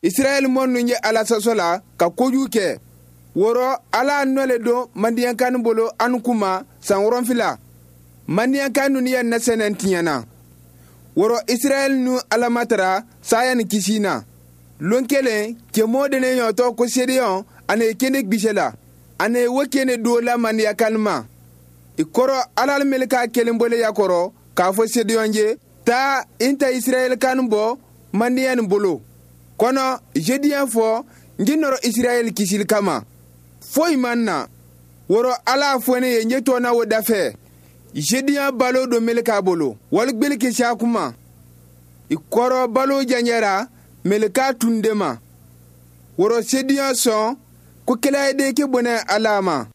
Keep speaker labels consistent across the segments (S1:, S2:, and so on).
S1: Israɛl mɔ ninnu ye Ala sɔsɔ la ka kojugu kɛ. Wɔrɔ Ala nɔ le don Madiyankan bolo anu kuma san 7. Madiyankan ninnu ye nasɛnɛ tiɲɛna. Wɔrɔ Israɛl nu Ala matara saya ni kisi na. Lon kelen cɛmɔ de ne ɲɔtɔ ko Sedeyɔn ani kene gbisɛ la. Ani wo kene do la Madiyankan ma. I kɔrɔ Ala meleka kelen bole ya kɔrɔ k'a fɔ Sedeyɔn ye taa n ta Israɛl kan bɔ Madiyan bolo. Kɔnɔ Jediyɛn fɔ n ji nɔrɔ Israɛl kisili kama. Foyi man na. Wɔrɔ Ala fɔ ne ye n ye tɔna o dafɛ. Jediyɛn balo don meleka bolo. Wali gbeli kisi kuma. I kɔrɔ balo janjɛra meleka tun de ma. Wɔrɔ Sediyɛn sɔn ko kɛlɛ ke bɔnɛ Ala ma.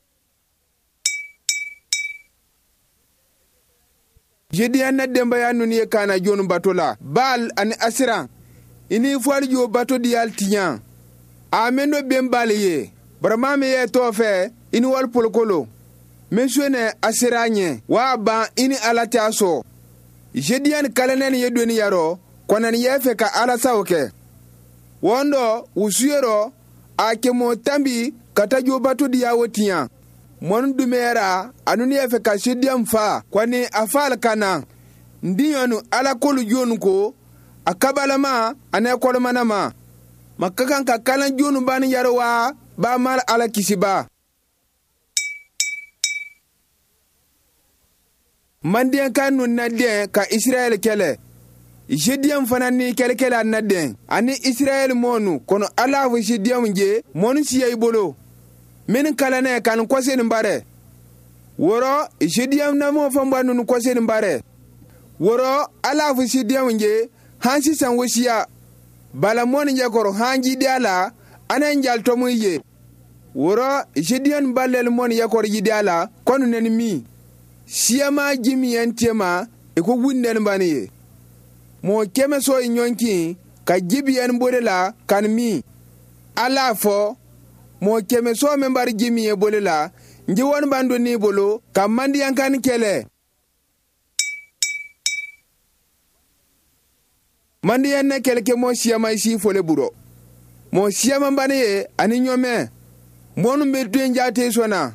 S1: Jediyɛn na denbaya ninnu ye kana jonu bato la. Baal ani Asiran. Ini fɔli jo bato diyal tiɲɛ. A mendo ben Baal ye. Barama min ye tɔ fɛ i ni wali polokolo. Min sone a sera ɲɛ wa ban i ni Ala t'a sɔn. Jediyɛn kalanɛni ye doni yarɔ kɔnani yɛ fɛ ka Ala sago kɛ. Wɔn dɔ wusuyerɔ a kɛmɔ tanbi ka taa jo bato diya wo tiɲɛ. Mɔni dumɛyara a nunu yɛ fɛ ka Sediyɛn fa kɔni a fa ka na. N diɲɔnu Ala kolu jonu ko a kabalama ani a kɔlɔmanama. Ma ka kan ka kalan jonu bani yɛrɛ wa ba mara Ala kisiba. Mandiyankan nun na den ka Israɛl kɛlɛ. Jediyɛn fana ni kɛlɛkɛla na den ani Israɛl mɔnu kɔnɔ Ala fɔ Jediyɛnw ye mɔnu siya i bolo. Minnu kalanɛ ka nin kɔse nin barɛ. Wɔrɔ Jediyɛn na mɔ fanba nunu kɔse nin barɛ. Wɔrɔ Ala fɔ Jediyɛnw ye han sisan wosiya. Bala mɔnu ɲɛkɔrɔ han jidiya la anan jaltɔmu ye. Wɔrɔ Jediyɛn balɛli mɔnu ɲɛkɔrɔ jidiya la kɔnu nɛni min. Siyama jimiyan tema i ko wunden bani ye. Mɔgɔ kɛmɛ sɔ i ɲɔnkin ka jibiyan bole la kan min. Ala fɔ mɔgɔ kɛmɛ sɔ min bari ji min ye bole la nji wani ban don n'i bolo ka mandiyankan kɛlɛ. Mandiyan ne kɛlɛkɛ mɔ siyama si fole burɔ. Mɔgɔ siyaman bani ye ani ɲɔmɛ. Mɔnu bɛ den jate sɔnna.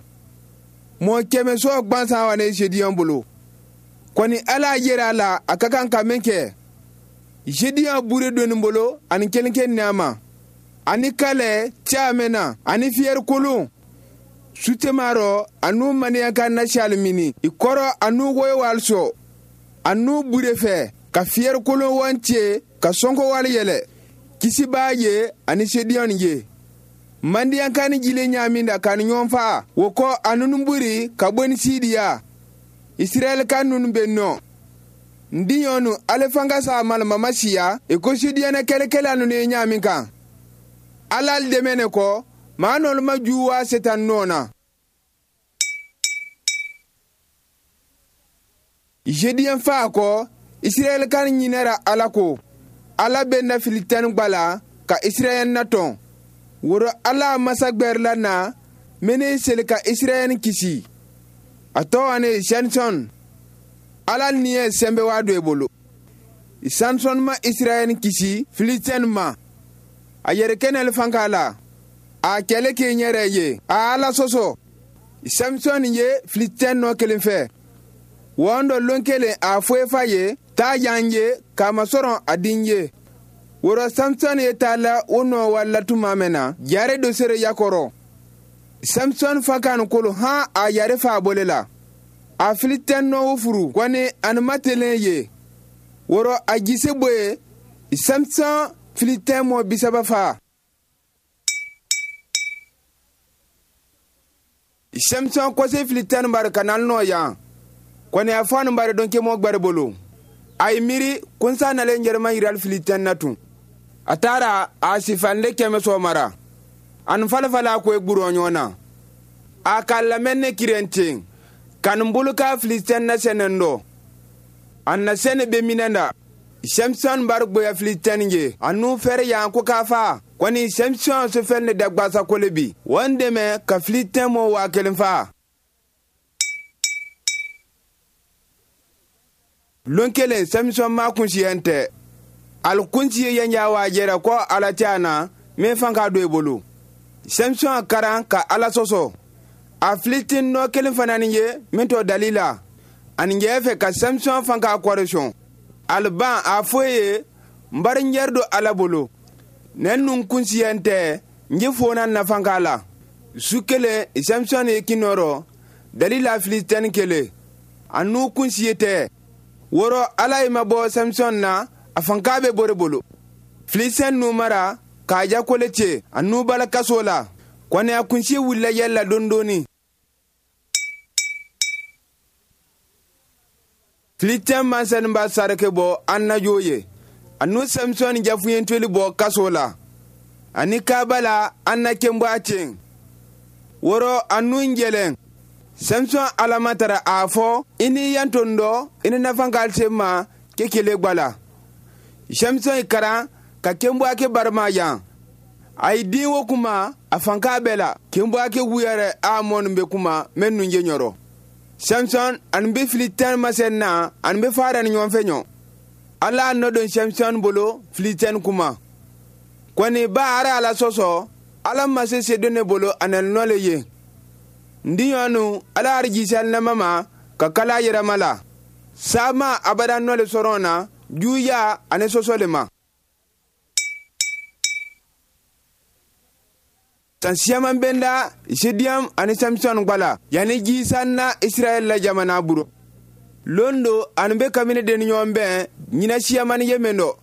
S1: Mɔgɔ kɛmɛ sɔ gbansan wa ne Sediyɔn bolo. Kɔni Ala yera a la a ka kan ka min kɛ. Jediyɔn bure doni bolo ani kelenke nɛma. Ani kalɛ caamɛna ani fiyɛri kolon. Sutemarɔ anu maniyanka nasiyali mini. I kɔrɔ anu woyowali sɔ. Anu bure fɛ ka fiyɛri kolon wan tiye ka sɔnkɔ wali yɛlɛ. Kisi b'a ye ani Sediyɔn ye. Mandiyankan jile ɲaamin da ka ni ɲɔgɔn fa wo kɔ a nunu buri ka bɔ ni siidiya. Israɛl ka nunu bɛ nɔ. N diɲɔnu ale fanga sa malamama siya i ko Sediyɛnɛ kɛlɛkɛla nunu ye ɲaamin kan. Ala dɛmɛ ne kɔ maa nɔlu ma juwa setan nɔ na. Jediyɛn fa kɔ Israɛl kan ɲinɛra Ala ko. Ala bɛ na filitɛni gbala ka Israɛl natɔn. Woro Ala masa gbɛrila na mene seli ka Israɛl kisi. A tɔgɔ ne Samson. Ala ni ye sɛnbɛ waa do i bolo. Samson ma Israɛl kisi Filistɛn ma. A yɛrɛ kɛnɛli fanka la. A kɛlɛ k'i yɛrɛ ye. A Ala sɔsɔ. Samson ye Filistɛn nɔ kelen fɛ. Wɔn dɔ lon kelen a foyi fa ye taa yan ye k'a masɔrɔ a den ye. Wɔrɔ Samson ye taa la o nɔ wala tuma mɛn na jare dɔ sere yakɔrɔ. Samson fa kan kolo han a yɛrɛ fa a bole la. A Filistɛn nɔ furu kɔni ani matelen ye. Wɔrɔ a jise boye Samson Filistɛn mɔ 30 fa. Samson kɔse Filistɛn bari ka na nɔ yan. Kɔni a fɔ bari dɔn kemɔ gbɛrɛ bolo. A ye miiri kunsa nalen yɛrɛma yirali Filistɛn na tun. A taara a sifande kɛmɛ sɔ mara. Ani falafala ko e gburo ɲɔgɔn na. A ka lamɛn ne kiren ten. Ka nin bolo ka Filistɛn na sɛnɛ dɔ. A na sɛnɛ bɛ minɛ da. Samson bari gboya Filistɛn ye. A nu fɛrɛ yan ko k'a fa. Kɔni Samson sofɛn ne da gbasa kole bi. Wɔn dɛmɛ ka Filistɛn mɔ 1000 fa. Lon kelen Samson ma kunsiyɛn tɛ. Alikunti ye yanjawa jɛra ko ala tɛ a na min fan k'a don i bolo. Samson karan ka ala sɔsɔ. A filitin nɔ kelen fana ni ye min tɔ dalila. Ani jɛ fɛ ka Samson fan k'a kɔri sɔn. Aliban a fɔ ye n bari n yɛrɛ don ala bolo. Ne nun kunsiya tɛ n ye fona nafan k'a la. Su kelen Samson ye kinɔrɔ dalila filitin kelen. A n'u kunsiye tɛ. Wɔrɔ ala ye ma bɔ Samson na a fanka bɛ bori bolo. Filisɛn nu mara k'a jakole cɛ a n'u bala kaso la. Kɔni a kunsi wulila yɛlɛ la dondoni. Filisɛn mansɛnba sarake bɔ an najo ye. A n'u Samson jafuɲɛntoli bɔ kaso la. Ani kaaba la an na kenbɔ a cɛ. Wɔrɔ a n'u jɛlɛn. Samson alamatara a fɔ i ni yanton dɔ i ni nafan k'ale ma kekele gbala. Samson ye karan ka kenbɔ barima yan. A ye den wo kuma a fanka bɛɛ la. Kenbɔ ake wuyɛrɛ a mɔnu bɛ kuma mɛ nun je ɲɔrɔ. Samson ani bɛ filitɛn masɛn na ani bɛ fara ni ɲɔgɔn fɛ ɲɔ. Ala nɔ don Samson bolo filitɛn kuma. Kɔni ba ara ala sɔsɔ ala ma se se don ne bolo a nɔ le ye. Ndiɲɔnu ala arijisal nama ma ka kala yɛrɛma la. Sama abada nɔ le sɔrɔ na juya ani sɔsɔ le ma. San siyaman benda Jediyam ani Samson gbala yani jisan na Israel la jamana buro. Londo ani be kamine den ɲɔgɔn bɛn ɲina siyaman ye men dɔ.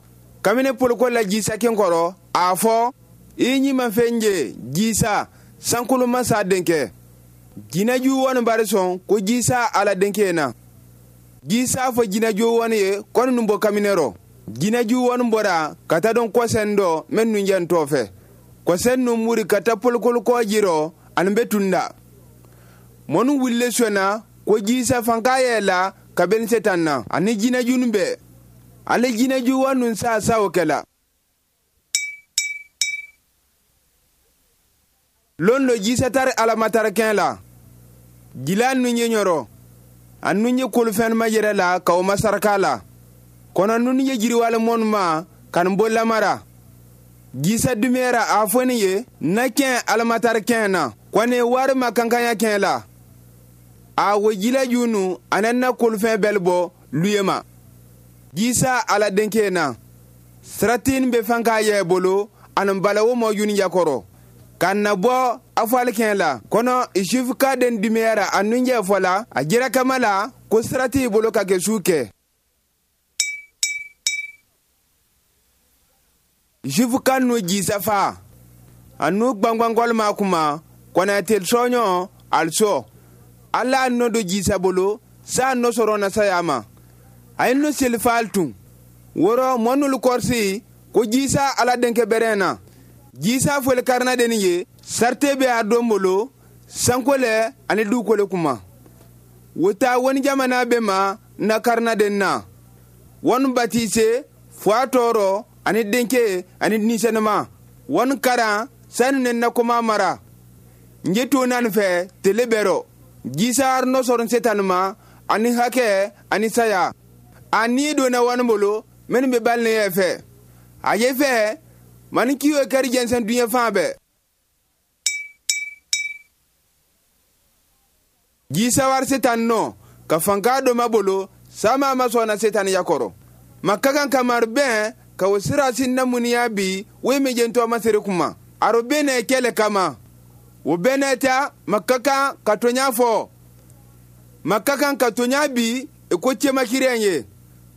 S1: Kamine poloko la jisa kenkɔrɔ a fɔ i ɲi fɛn je jisa sankolo masa denkɛ. Jinaju wani bari sɔn ko jisa ala denkɛ na. Jisa fɔ jinaju wani ye kɔni nun bɔ kamine rɔ. Jinaju wani bɔra ka taa dɔn kɔsɛn dɔ mɛ nun jɛ n tɔ fɛ. Kɔsɛn nun muri ka taa polokolo kɔ jirɔ ani bɛ tunda. Mɔnu wulile sɔnna ko jisa fanka yɛ la ka bɛn setan na ani jinaju nun bɛɛ. Ale jinaju wani nun sa sa o kɛla. Lon do jisa tari alamatarikɛn la. Jila nun ye ɲɔrɔ. A nun ye kolofɛn ma yɛrɛ la ka o masaraka la. Kɔnɔ nun ye jiriwale mɔnu ma ka nin bɔ lamara. Jisa dumɛra a fɔ ni ye na kɛn alamatarikɛn na. Kɔni wari ma kankanya kɛn la. A wo jila junu a na kolofɛn bɛɛ bɔ luye ma. Jisa ala denkɛ na. Siratin bɛ fan k'a yɛ bolo ani balawo mɔ yuni yakɔrɔ. Ka na bɔ afalikɛn la kɔnɔ isufu den dimiyara a nunjɛ fɔ la a jira kama la ko sira t'i bolo ka kɛ su kɛ. Isufu ka nu jisa fa a nu gbangbankɔli ma kuma kɔnɔ teli sɔɲɔ alisɔ ala nɔ do jisa bolo saa nɔ sɔrɔ na saya ma a ye nu seli faal tun wɔrɔ mɔnulu kɔrisi ko jisa ala denkɛ bɛrɛn na. Jisa fɔli karina deni ye sarte bɛ a don bolo sankole ani dukole kuma. Wota wani jamana bɛ ma na karina den na. Wani batise fo a tɔɔrɔ ani denkɛ ani nisɛnɛma. Wani karan sanu ne na kuma mara. Nje to nan fɛ tele bɛrɔ. Jisa nɔ sɔrɔ setan ma ani hakɛ ani saya. A ni donna wani bolo minnu bɛ bali ne yɛ fɛ. A ye fɛ mani kiyo kari jɛnsɛn duɲɛ fan bɛɛ. Jisa wari setan nɔ ka fanka dɔ ma bolo sama ma sɔnna setan yakɔrɔ. Ma ka kan kamari bɛn ka o sira sin na muniya bi wo mi jɛntɔ ma sere kuma. Aro bɛn na kɛlɛ kama. O bɛn na ta ma ka kan ka toɲa fɔ. Ma ka kan ka toɲa bi i ko cɛmakirɛn ye.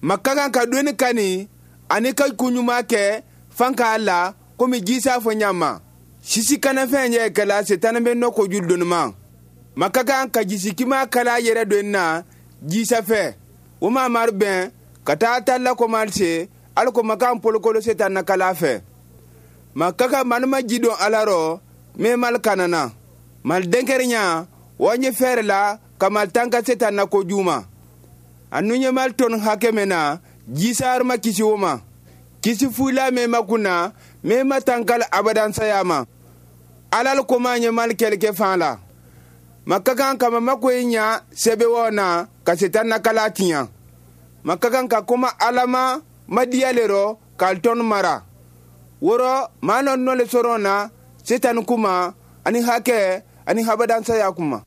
S1: Ma ka kan ka doni kani ani ka koɲuman kɛ fan k'a la komi jisa fɔ ɲama. Sisi kanafɛn yɛ kɛla setani bɛ nɔ koju doni ma. Ma ka kan ka jisikima kala yɛrɛ don na jisa fɛ. O ma mari bɛn ka taa ta la komalise hali ko ma kan polokolo setan na kala fɛ. Ma ka kan manuma ji don ala rɔ min mali kana na. Mali denkɛrinya wa ɲɛ fɛɛrɛ la ka mali tan ka setan na koju ma. A nu ɲɛ mali tɔni hakɛ min na jisa ma kisi o ma. Kisi fula min ma kunna min ma tankali abadan saya ma. Alal ko ma ɲɛ mali kɛlɛkɛ fan la. Ma ka kan ka mamako ye ɲa sɛbɛwɔ na ka setan na kala tiɲɛ. Ma ka kan ka kuma ala ma madiyale rɔ K'alitɔnu mara wo rɔ maa nɔ nɔ le sɔrɔ na Setani kuma ani hakɛ ani habadansaya kuma.